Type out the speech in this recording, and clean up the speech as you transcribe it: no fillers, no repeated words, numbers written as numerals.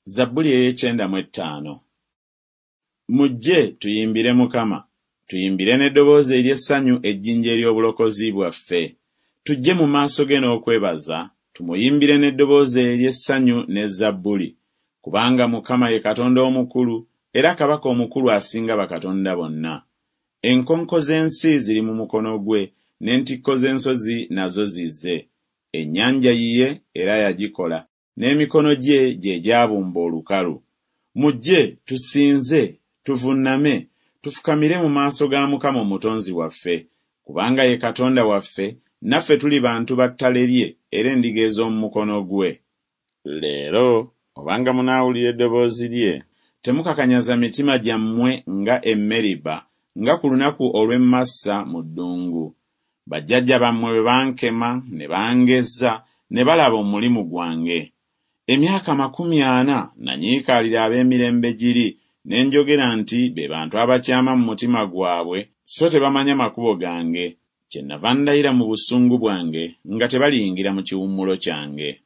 Zabbuli ey'ekyenda mu ettaano. Mujje tuyimbire Mukama, tuyimbire n'eddoboozi ery'essanyu ejjinja ery'obulokozi bwaffe. Tujje mu maaso ge n'okwebaza, tumuyimbire n'eddoboozi ery'essanyu ne zabbuli. Kubanga Mukama ye Katonda omukulu, era Kabaka omukulu asinga bakatonda bonna. Enkonko z'ensi ziri mu mukono gwe, n'entikko z'ensozi nazo zize. Ennyanja yiye era yagikola, n'emikono gye gye gyabumba olukalu. Mujje, tusinze, tuvunname, tufukamire mu maaso ga Mukama Omutonzi waffe, kubanga ye Katonda waffe, naffe tuli bantu ba ttale lye era endiga ez'omu mukono gwe. Leero, obanga munaawulira eddoboozi lye, temukakanyaza mitima gyammwe nga e Meriba, nga ku lunaku olw'e Massa mu ddungu, bajjajja bammwe bwe bankema ne bangezza, ne balaba omulimu gwange. Emyaka 40 nanyiikaalira ab'emirembe giri, ne njogera nti be bantu abakyama mu mutima gwabwe, so tebamanya makubo gange, kyennava ndayira mu busungu bwange nga tebaliyingira mu kiwummulo kyange.